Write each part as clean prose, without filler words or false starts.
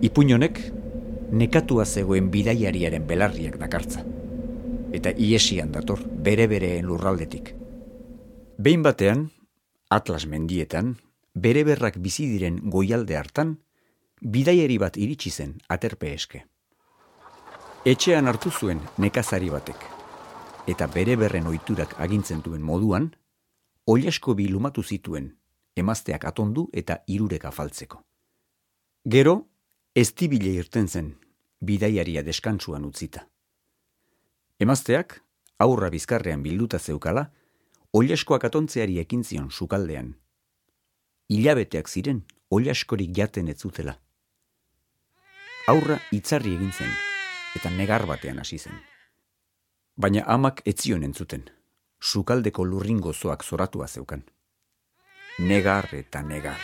Ipuin honek nekatua zegoen bidaiariaren belarriak dakartza. Eta iesian dator, bere-bereen lurraldetik. Behin batean, Atlas mendietan, bere-berrak bizi diren goialde hartan, bidaiari bat iritsi zen aterpe eske. Etxean hartu zuen nekazari batek, eta bere-berren ohiturak agintzen duen moduan, oilasko bi lumatu zituen, emazteak atondu eta hirurek afaltzeko. Gero, eztibile irten zen, bidaiaria deskantsuan utzita. Emazteak, aurra bizkarrean bilduta zeukala, oilaskoak atontzeari ekin zion sukaldean. Hilabeteak ziren, oilaskorik jaten ez zutela. Aurra itzarri egin zen, eta negar batean hasi zen. Baina amak ez zion entzuten, sukaldeko lurrin gozoak zoratua zeukan. Negar eta negar.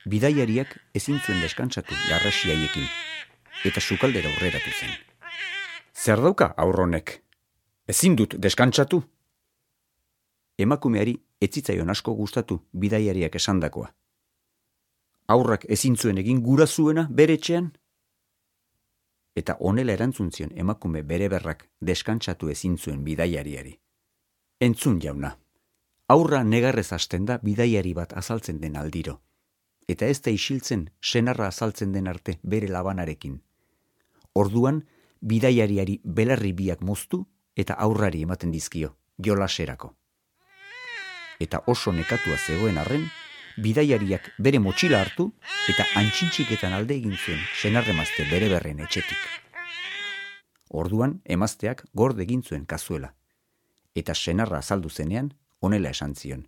Bidaiariak ezin zuen deskantsatu garrasiaiekin, eta sukaldera aurreratu zen. Zer dauka aurronek? Ezin dut deskantsatu? Emakumeari ez zitzaion asko gustatu bidaiariak esandakoa. Aurrak ezin zuen egin gura zuena bere etxean? Eta honela erantzun zion emakume bereberrak deskantsatu ezin zuen bidaiariari. Entzun jauna, aurra negarrez hasten da bidaiari bat azaltzen den aldiro, eta ez da isiltzen senarra azaltzen den arte bere labanarekin. Orduan, bidaiariari belarri biak moztu eta aurrari ematen dizkio, jolaserako. Eta oso nekatua zegoen arren, bidaiariak bere motxila hartu eta antxintxiketan alde egin zuen senarremazte bere berren etxetik. Orduan, emazteak gorde egin zuen kazuela, eta senarra azaldu zenean, honela esan zion.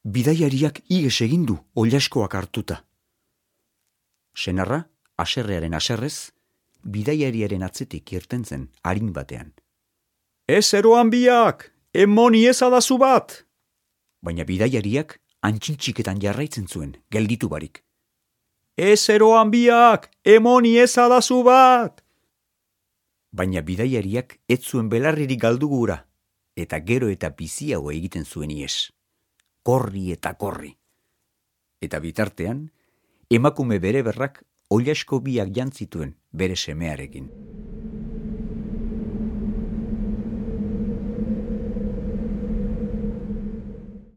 Bidaiariak iges egin du oilaskoak hartuta. Senarra, haserrearen haserrez, bidaiariaren atzetik irten zen arin batean. Ez eroan biak, emoni ezadazu bat! Baina bidaiariak antxintxiketan jarraitzen zuen, gelditu barik. Ez eroan biak, emoni ezadazu bat! Baina bidaiariak ez zuen belarririk galdu gura, eta gero eta biziago egiten zuen ies. Korri eta korri. Eta bitartean, emakume bere berrak oilasko biak jantzituen bere semearekin.